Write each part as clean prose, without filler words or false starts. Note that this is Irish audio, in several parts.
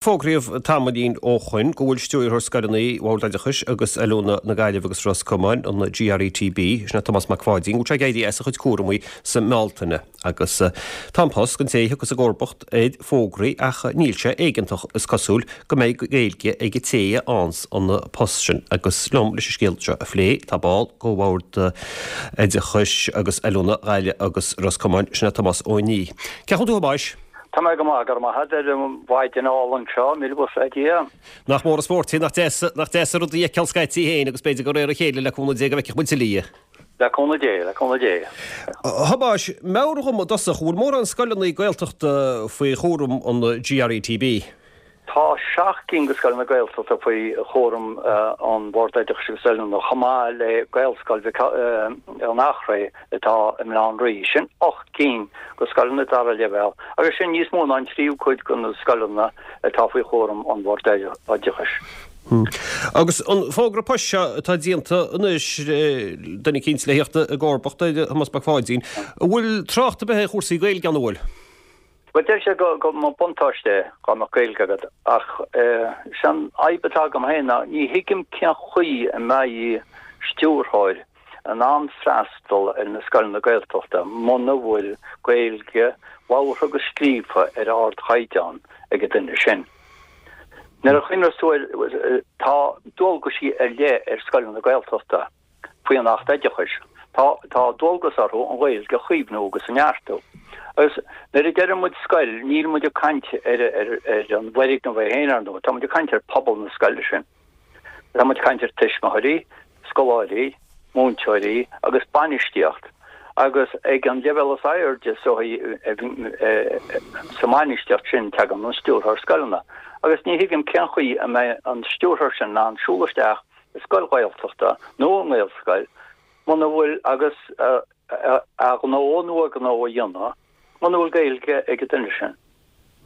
Fógraíodh tamaillín ó shoin go bhfuil Stiúrthóir Scoileanna Bhord Oideachais agus Oiliúna na Gaillimhe agus Ros Comáin, an GRETB, sin é Tomás Mac Pháidín, go bhfuil sé ag éirí as a chuid cúramaí sa mBealtaine. Agus tá an post don té a thiocfas i gcomharbacht air fógraithe ach níl sé éigeantach, is cosúil, go mbeidh Gaeilge ag an té a fhaigheanns an post sin. Agus liom leis an scéal seo a phlé tá ball de Bhord Oideachais agus Oiliúna Ghaillimh agus Ros Comáin, sin é Tomás Ó Nia. Cén chaoi a bhfuil tú a Thomáis? Tá mé go maith, go raibh maith agat ar an mhaidin álainn seo, míle buíochas le Dia. Nach mór an spórt é, nach deas, nach deas an rud a fheiceáil scaití féin agus b'fhéidir de réir a chéile le cúnamh Dé go bhfeicfidh muid tuilleadh. Le cúnamh Dé, le cúnamh Dé. A Thomáis, meabhraigh dhom i dtosach, an bhfuil mórán scoileanna Gaeltachta faoi chúram an GRETB? Tá 7 gcinn de scoileanna Gaeltachta faoi chúram an Bhord Oideachais agus Oiliúna, chomh maith le Gaelscoil Mhic an Eachréidh atá i mBaile Átha an Rí. Sin 8 gcinn de scoileanna dara leibhéal agus sin níos mó ná an tríú cuid de na scoileanna atá faoi chúram an Bhord Oideachais. Agus an fógra poist seo atá déanta anois, duine eicínt le theacht i gcomharbacht ar Thomás Mac Pháidín, an bhfuil trácht ar bith ar chúrsaí Gaeilge ann, an bhfuil? Bhuel, deir sé go mba buntáiste é dá mbeadh Gaeilge agat, ach is é an fhadhb atá agam féin ná ní thuigim cén chaoi a mbeidh stiúrthóir in ann freastal ar na scoileanna Gaeltachta muna bhfuil Gaeilge labhartha agus scríofa ar ardchaighdeán ag an duine sin. Nuair a chuimhneos tú air, tá dualgaisí ar leith ar scoileanna Gaeltachta. Faoi an Acht Oideachais, tá tá dualgas orthu an Ghaeilge a chaomhnú agus a neartú. Agus nuair a deireann muid scoil, níl muid ag caint ar ar ar an bhfoirgneamh é féin, ar ndóigh, tá muid ag caint ar phobal na scoile sin. Tá muid ag caint ar tuismitheoirí, scoláirí, múinteoirí agus bainistíocht. Agus ag an leibhéal is airde sa sa mbainistíocht sin tagann an stiúrthóir scoileanna. Agus ní thuigim cén chaoi a mbeidh an stiúrthóir sin in ann siúl isteach i scoil Ghaeltachta nó i nGaelscoil muna bhfuil agus a ghnó nó a gnó a dhéanamh muna bhfuil Gaeilge ag an duine sin.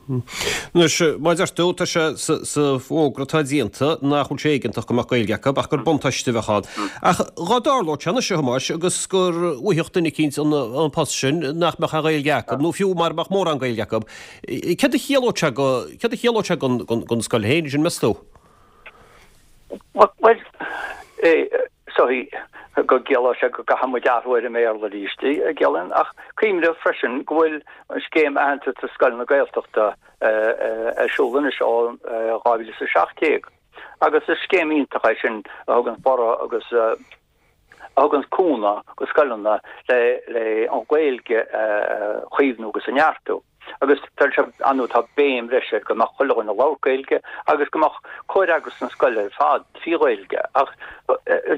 Anois, mar a deir tú, tá sé sa bhfógra atá déanta nach bhfuil sé éigeantach go mbeadh Gaeilge acu ach gur buntáiste a bheadh ann. Ach dhá dtarlódh sé anois, a Thomáis, agus gur bhfaigheadh duine eicínt an post sin nach mbeadh aon Ghaeilge acu, nó fiú mara mbeadh mórán Gaeilge acu, céard a chiallódh sé go, céard a chiallódh sé don scoil féin sin, meas tú? Bhuel, so go gciallódh sé go gcaithfidh muid athrú ar an mBéarla arís, ciallaíonn, ach cuimhnigh freisin go bhfuil an scéim aitheantais do scoileanna Gaeltachta ar siúl anois ó 2017 agus is scéim iontach é sin a thugann borradh agus a thugann cúnamh do scoileanna le le an Ghaeilge a chaomhnú agus a neartú. Agus tá sé, ar ndóigh, tá béim bhreise air go mbeadh chuile dhuine ag labhairt Gaeilge agus go mbeadh comhfhreagras na scoile ar fad trí Ghaeilge. Ach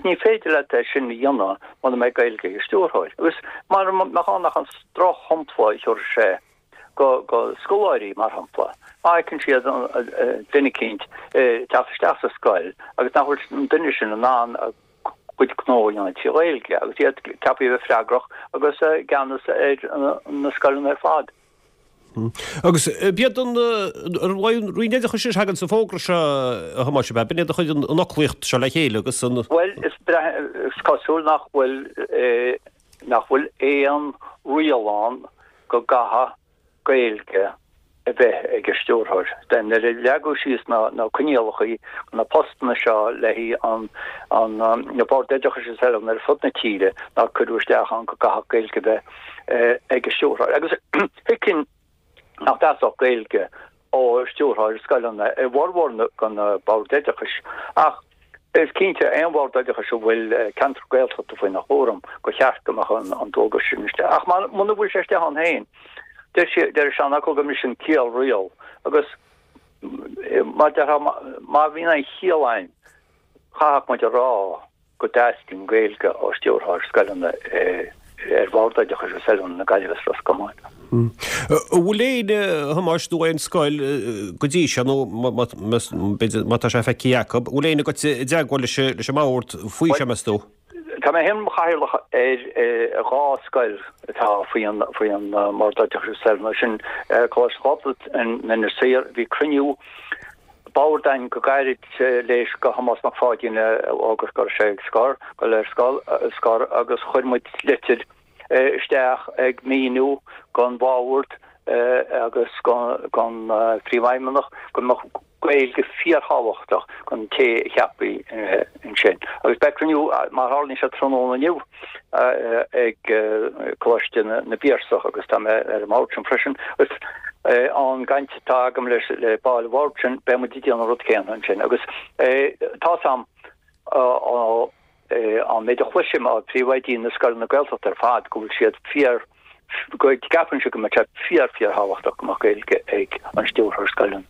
ní féidir leat é sin a dhéanamh muna mbeidh Gaeilge ag an stiúrthóir. Agus mara mbeadh ann ach an drochshampla a thabharfadh sé go scoláirí, mar shampla, má fheiceann siad duine eicínt ag teacht isteach sa scoil agus nach bhfuil an duine sin in ann a gcuid gnó a dhéanamh trí Ghaeilge agus iad ceaptha a bheith freagrach agus i gceannas ar na scoileanna ar fad. Agus b'iad an Roinn Oideachais a thagann sa bhfógra seo, a Thomáis, ab ea? B'in iad a chuir an fhoclaíocht seo le chéile agus an. Bhuel, is cosúil nach bhfuil nach bhfuil aon riail ann go gcaithfidh Gaeilge a bheith ag an stiúrthóir. Nuair a leagadh síos na coinníollacha na postanna seo le haghaidh an na Bord Oideachais is eile ar fud na tíre nár cuireadh isteach ann go gcaithfeadh Gaeilge a bheith ag an stiúrthóir. Agus thuigfinn nach dteastódh Gaeilge ó stiúrthóir scoileanna i bhformhór de na Boird Oideachais ach Is cinnte, aon bhord oideachais a bhfuil ceantar Gaeltachta faoina chúram, gur cheart go mbeadh an dualgas sin istigh. Ach muna bhfuil sé istigh ann féin, deir siad, deir an seanfhocal go mbriseann ciall riail. Agus mar déarfá, má bhíonn aon chiall ann, chaithfeadh muid a rá go dteastaíonn Gaeilge ó stiúrthóir scoileanna ar Bhord Oideachais agus Oiliúna na Gaillimhe is Ros Comáin. An bhfuil éinne, a Thomáis, nó aon scoil go dtí seo, nó b'fhéidir má tá sé feicthe acu, an bhfuil éinne agat i dteagmháil leis an mbord faoi seo, meas tú? Tá mé féin i mo chathaoirleach ar dhá scoil atá faoi an faoi an mBord Oideachais agus Oiliúna, sin Coláiste Ghobnait in Inis Oírr. Bhí cruinniú boird againn go gairid tar éis do Thomás Mac Pháidín a fhógairt go raibh sé ag scor, dul ar scor agus chuir muid litir isteach ag míniú don bhord agus don phríomhfheidhmeannach go mbeadh. Gaeilge fíorthábhachtach don té a cheapfaí ansin. Agus beidh cruinniú, mar a tharlaíonn sé, tráthnóna inniu ag Coláiste na bPiarsach agus tá mé ar an mbord sin freisin. Agus ón gcaint atá agam leis le baill an bhoird sin, beidh muid ag déanamh an rud céanna ansin. Agus tá's a'm ó an méid a chloisim ó phríomhoidí na scoileanna Gaeltachta ar fad go bhfuil siad fíor, go gceapann siad go mbeadh sé fíor, fíor-thábhachtach go mbeadh Gaeilge ag an stiúrthóir scoileanna.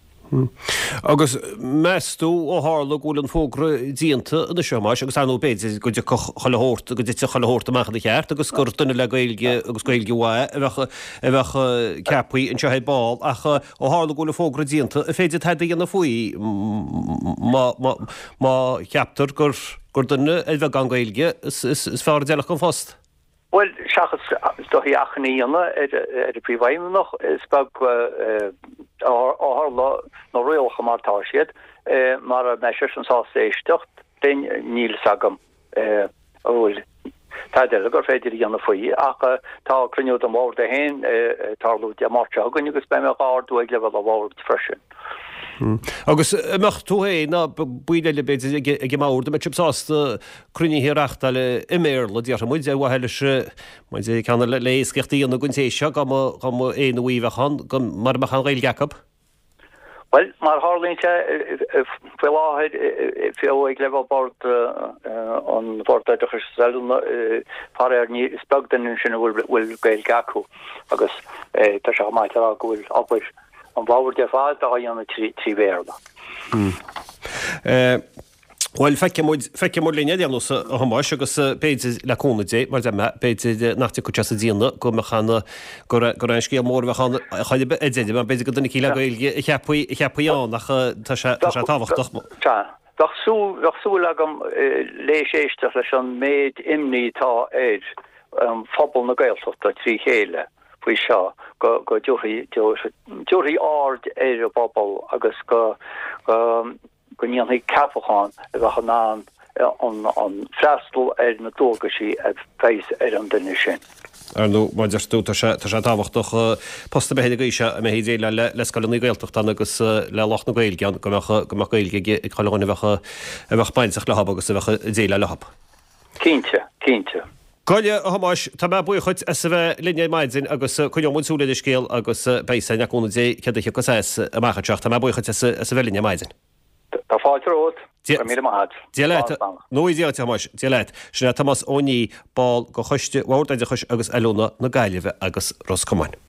Agus meas tú, ó tharla go bhfuil an fógra déanta anois, a Thomáis, agus ar ndóigh b'fhéidir go dtiocfadh chuile shórt, go dtitfeadh chuile shórt amach ina cheart agus gur duine le Gaeilge agus Gaeilge mhaith a bheadh, a bheadh ceaptha anseo ar ball ach ó tharla go bhfuil an fógra déanta, an féidir tada a dhéanamh faoi má, má, má cheaptar gur, gur duine ar bheagán Gaeilge is, is, is fearr a d'fheilfeadh don phost? Bhuel, seachas is dóichí achainí a dhéanamh ar an bPríomhfheidhmeannach, is beag ó tharla na rialacha mar atá siad, mara mbeidh seisean sásta éisteacht linn, níl fhios agam an bhfuil tada eile gur féidir a dhéanamh faoi. Ach tá cruinniú den bhord é féin ag tarlú Dé Máirt seo chugainn agus beidh mé dhá ardú ag leibhéal an bhoird freisin. Agus an mbeadh tú féin ná baill eile b'fhéidir ag an mbord, an mbeadh sibh sásta cruinnithe a reachtáil i mBéarla, déarfaidh muid, ar mhaithe leis, mar deir ceann le éascaíocht a dhéanamh don té seo, dá mba, dá mba é nó í a bheadh ann, go, mara mbeadh aon Ghaeilge acu. Bhuel, mar a tharlaíonn sé, faoi láthair, fiú ag leibhéal bord an Bhord Oideachais is Oiliúna, faraor, ní, is beag duine ansin a bhfuil Gaeilge acu agus tá sé chomh maith le rá go bhfuil obair an bhoird ar fad á dhéanamh trí Bhéarla. Bhuel, feicfidh muid, feicfidh muid linn ar aon nós, a Thomáis, agus b'fhéidir, le cúnamh Dé, mar a deir mé, b'fhéidir nach dtiocfadh sé sa déanamh go mbeadh an, gur, gur aon scéal mór a bheadh ann chor ar bith ar deireadh, mar b'fhéidir gur duine eicínt le Gaeilge a cheapfaí, a cheapfaí ann, ach tá sé, tá sé tábhachtach. Sea. Bheadh súil, bheadh súil agam léis éisteacht leis an méid imní atá ar phobal na Gaeltachta trí chéile faoi seo, go, go dtabharfaí, dtabharfaí aird ar an bpobal agus go, go, go ndéanfaí ceapachán a bheadh in ann an freastal ar na dualgaisí a bheas ar an duine sin. Ar ndóigh, mar a deir tú, tá sé tábhachtach post ar bith ar an gcaoi seo a mbeifí ag déileáil le scoileanna Gaeltachta ann agus le lucht na Gaeilge ann, go mbeadh go mbeadh Gaeilge ag chuile dhuine a bheadh a bheadh bainteach leo agus a bheadh ag déileáil leo. Cinnte, cinnte. Go leor, a Thomáis, tá mé buíoch dhuit as a bheith linn ar maidin agus coinneoidh muid súil ar an scéal agus beidh 'fhios a'inn le cúnamh Dé céard a thiocfas as amach anseo ach tá mé buíoch dhuit as a bheith linn ar maidin. Tá fáilte romhat. Go raibh míle maith agat. Dia leat. Nó Dia duit, a Thomáis. Dia leat. Sin é Tomás Ó Niaidh, ball de Choiste Bhord Oideachais agus Oiliúna na Gaillimhe agus Ros Comáin.